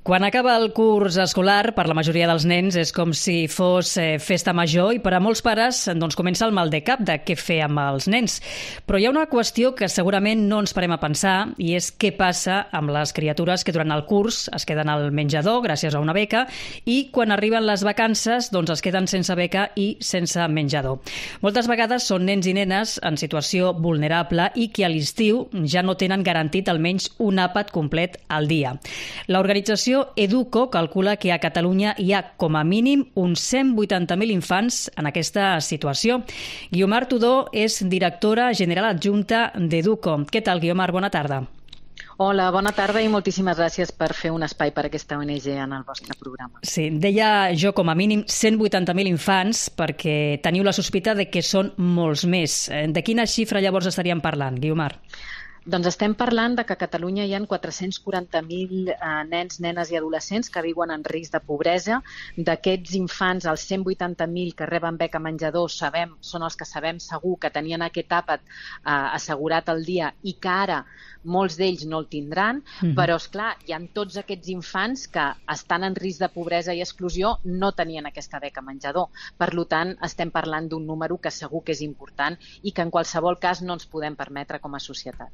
Quan acaba el curs escolar, per la majoria dels nens és com si fos festa major i per a molts pares doncs, comença el mal de cap de què fer amb els nens. Però hi ha una qüestió que segurament no ens parem a pensar i és què passa amb les criatures que durant el curs es queden al menjador gràcies a una beca i quan arriben les vacances doncs, es queden sense beca i sense menjador. Moltes vegades són nens i nenes en situació vulnerable i que a l'estiu ja no tenen garantit almenys un àpat complet al dia. L'organització Educo calcula que a Catalunya hi ha com a mínim uns 180.000 infants en aquesta situació. Guiomar Tudó és directora general adjunta d'Educo. Què tal, Guiomar? Bona tarda. Hola, bona tarda i moltíssimes gràcies per fer un espai per a aquesta ONG en el vostre programa. Sí, deia jo com a mínim 180.000 infants perquè teniu la sospita de que són molts més. De quina xifra llavors estaríem parlant, Guiomar? Doncs estem parlant de que a Catalunya hi ha 440.000 nens, nenes i adolescents que viuen en risc de pobresa. D'aquests infants, els 180.000 que reben beca menjador són els que sabem segur que tenien aquest àpat assegurat al dia i que ara molts d'ells no el tindran, però esclar, hi ha tots aquests infants que estan en risc de pobresa i exclusió, no tenien aquesta beca menjador. Per tant, estem parlant d'un número que segur que és important i que en qualsevol cas no ens podem permetre com a societat.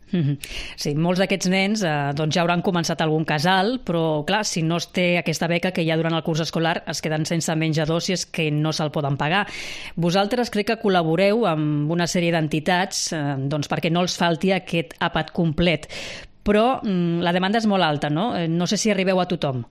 Sí, molts d'aquests nens doncs ja hauran començat algun casal, però clar, si no es té aquesta beca que hi ha durant el curs escolar, es queden sense menjador si és que no se'l poden pagar. Vosaltres crec que col·laboreu amb una sèrie d'entitats doncs perquè no els falti aquest àpat complet. Però la demanda és molt alta, no? No sé si arribeu a tothom.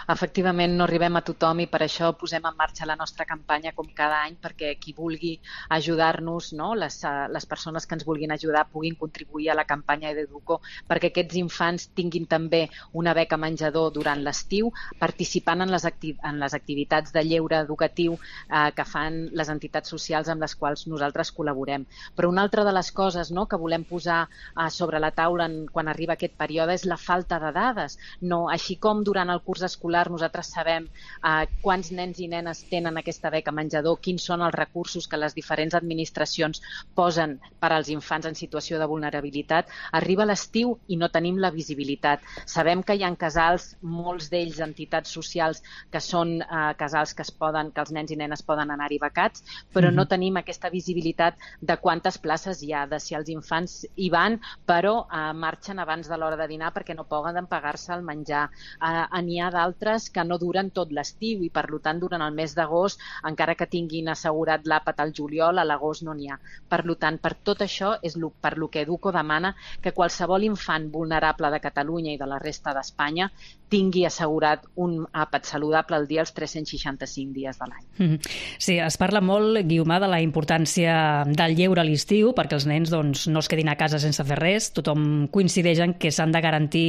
Efectivament, no arribem a tothom i per això posem en marxa la nostra campanya com cada any perquè qui vulgui ajudar-nos, no? les persones que ens vulguin ajudar puguin contribuir a la campanya d'Educo perquè aquests infants tinguin també una beca menjador durant l'estiu, participant en les activitats de lleure educatiu que fan les entitats socials amb les quals nosaltres col·laborem. Però una altra de les coses que volem posar sobre la taula quan arriba aquest període és la falta de dades. No, així com durant el curs escolar nosaltres sabem quants nens i nenes tenen aquesta beca menjador, quins són els recursos que les diferents administracions posen per als infants en situació de vulnerabilitat, arriba l'estiu i no tenim la visibilitat. Sabem que hi ha casals, molts d'ells entitats socials, que són casals que els nens i nenes poden anar-hi becats, però no tenim aquesta visibilitat de quantes places hi ha, de si els infants hi van, però marxen abans de l'hora de dinar perquè no poden pagar-se el menjar. N'hi ha d'altres que no duren tot l'estiu i per tant durant el mes d'agost, encara que tinguin assegurat l'àpat al juliol, a l'agost no n'hi ha. Per tant, per tot això és per lo que Educo demana que qualsevol infant vulnerable de Catalunya i de la resta d'Espanya tingui assegurat un àpat saludable al dia els 365 dies de l'any. Sí, es parla molt, Guiomar, de la importància del lleure a l'estiu perquè els nens no es quedin a casa sense fer res. Tothom coincideix en que s'han de garantir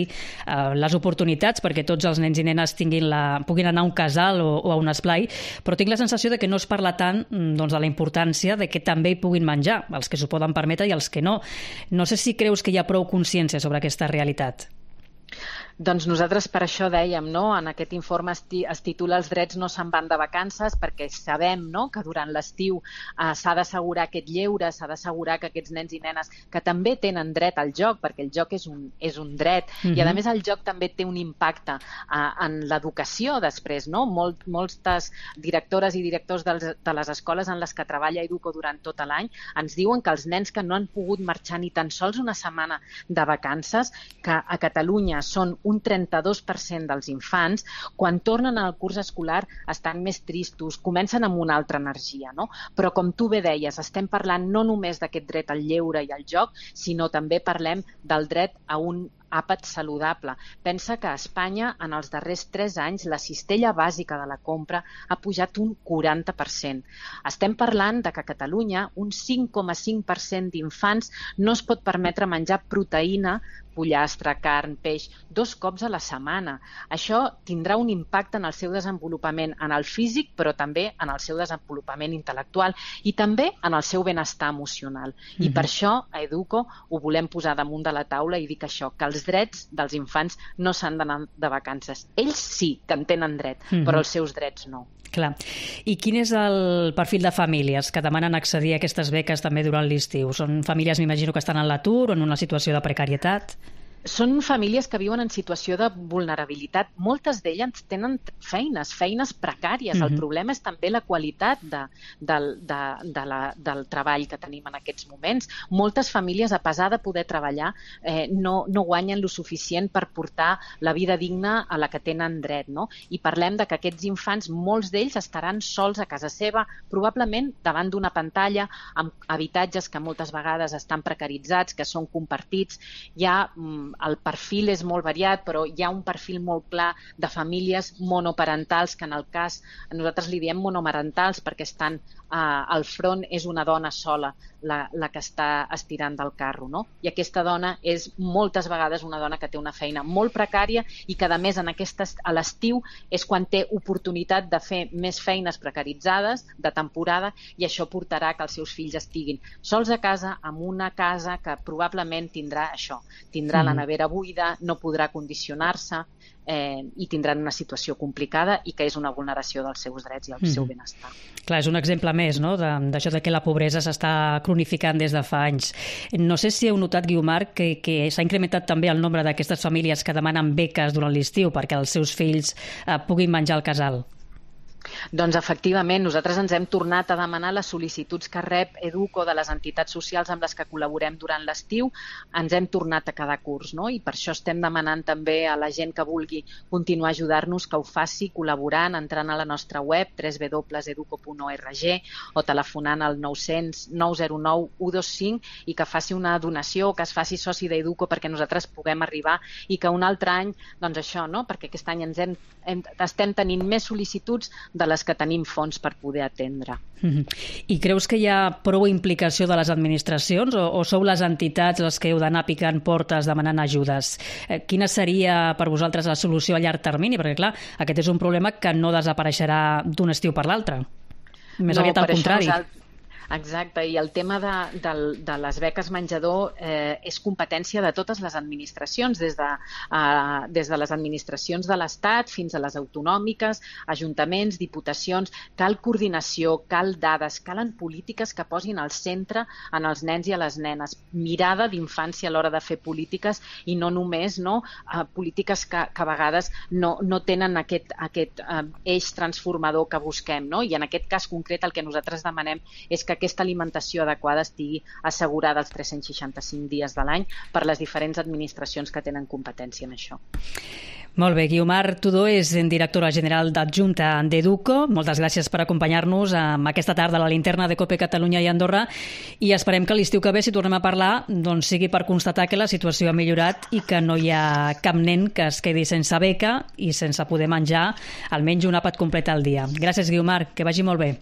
les oportunitats perquè tots els nens i nenes puguin anar a un casal o a un esplai, però tinc la sensació de que no es parla tant de la importància de que també hi puguin menjar, els que s'ho poden permetre i els que no. No sé si creus que hi ha prou consciència sobre aquesta realitat. Doncs nosaltres per això dèiem, en aquest informe es titula Els drets no se'n van de vacances perquè sabem que durant l'estiu s'ha d'assegurar aquest lleure, s'ha d'assegurar que aquests nens i nenes que també tenen dret al joc, perquè el joc és un dret i a més el joc també té un impacte en l'educació després. Moltes directores i directors de les escoles en les que treballa Educo durant tot l'any ens diuen que els nens que no han pogut marxar ni tan sols una setmana de vacances, que a Catalunya són un 32% dels infants, quan tornen al curs escolar estan més tristos, comencen amb una altra energia. Però com tu bé deies, estem parlant no només d'aquest dret al lleure i al joc, sinó també parlem del dret a un àpat saludable. Pensa que a Espanya, en els darrers 3 anys, la cistella bàsica de la compra ha pujat un 40%. Estem parlant de que a Catalunya un 5,5% d'infants no es pot permetre menjar proteïna, pollastre, carn, peix, 2 cops a la setmana. Això tindrà un impacte en el seu desenvolupament, en el físic, però també en el seu desenvolupament intel·lectual i també en el seu benestar emocional. I per això a Educo ho volem posar damunt de la taula i dir que això, que els drets dels infants no s'han d'anar de vacances. Ells sí que en tenen dret, però els seus drets no. Clar. I quin és el perfil de famílies que demanen accedir a aquestes beques també durant l'estiu? Són famílies, m'imagino, que estan en l'atur o en una situació de precarietat? Són famílies que viuen en situació de vulnerabilitat. Moltes d'elles tenen feines precàries. El problema és també la qualitat del treball que tenim en aquests moments. Moltes famílies, a pesar de poder treballar, no guanyen lo suficient per portar la vida digna a la que tenen dret, no? I parlem de que aquests infants, molts d'ells estaran sols a casa seva, probablement davant d'una pantalla, amb habitatges que moltes vegades estan precaritzats, que són compartits. El perfil és molt variat, però hi ha un perfil molt clar de famílies monoparentals, que en el cas, nosaltres li diem monomarentals perquè estan al front, és una dona sola la que està estirant del carro, no? I aquesta dona és moltes vegades una dona que té una feina molt precària i que, a més, a l'estiu és quan té oportunitat de fer més feines precaritzades de temporada, i això portarà que els seus fills estiguin sols a casa, amb una casa que probablement tindrà això, tindrà la nevera buida, no podrà condicionar-se i tindran una situació complicada i que és una vulneració dels seus drets i el seu benestar. Clar, és un exemple més, no?, d'això de que la pobresa s'està cronificant des de fa anys. No sé si heu notat, Guiomar, que s'ha incrementat també el nombre d'aquestes famílies que demanen beques durant l'estiu perquè els seus fills puguin menjar al casal. Doncs efectivament, nosaltres ens hem tornat a demanar les sol·licituds que rep Educo de les entitats socials amb les que col·laborem durant l'estiu, ens hem tornat a cada curs, no? I per això estem demanant també a la gent que vulgui continuar a ajudar-nos que ho faci col·laborant, entrant a la nostra web www.educo.org o telefonant al 900 909 125 i que faci una donació, que es faci soci d'Educo perquè nosaltres puguem arribar i que un altre any, doncs això, no? Perquè aquest any estem tenint més sol·licituds de les que tenim fons per poder atendre. I creus que hi ha prou implicació de les administracions o sou les entitats les que heu d'anar picant portes demanant ajudes? Quina seria per vosaltres la solució a llarg termini? Perquè, clar, aquest és un problema que no desapareixerà d'un estiu per l'altre. Més aviat al contrari. Exacte, i el tema de les beques menjador és competència de totes les administracions, des de les administracions de l'Estat fins a les autonòmiques, ajuntaments, diputacions. Cal coordinació, cal dades, calen polítiques que posin al centre en els nens i a les nenes. Mirada d'infància a l'hora de fer polítiques i no només polítiques que a vegades no tenen aquest eix transformador que busquem, no? I en aquest cas concret el que nosaltres demanem és que aquesta alimentació adequada estigui assegurada els 365 dies de l'any per les diferents administracions que tenen competència en això. Molt bé, Guiomar Tudó és directora general adjunta d'Educo. Moltes gràcies per acompanyar-nos aquesta tarda a la linterna de COPE Catalunya i Andorra i esperem que l'estiu que ve, si tornem a parlar, doncs sigui per constatar que la situació ha millorat i que no hi ha cap nen que es quedi sense beca i sense poder menjar almenys un àpat complet al dia. Gràcies, Guiomar, que vagi molt bé.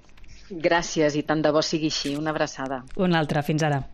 Gràcies i tant de bo sigui així. Una abraçada. Una altra. Fins ara.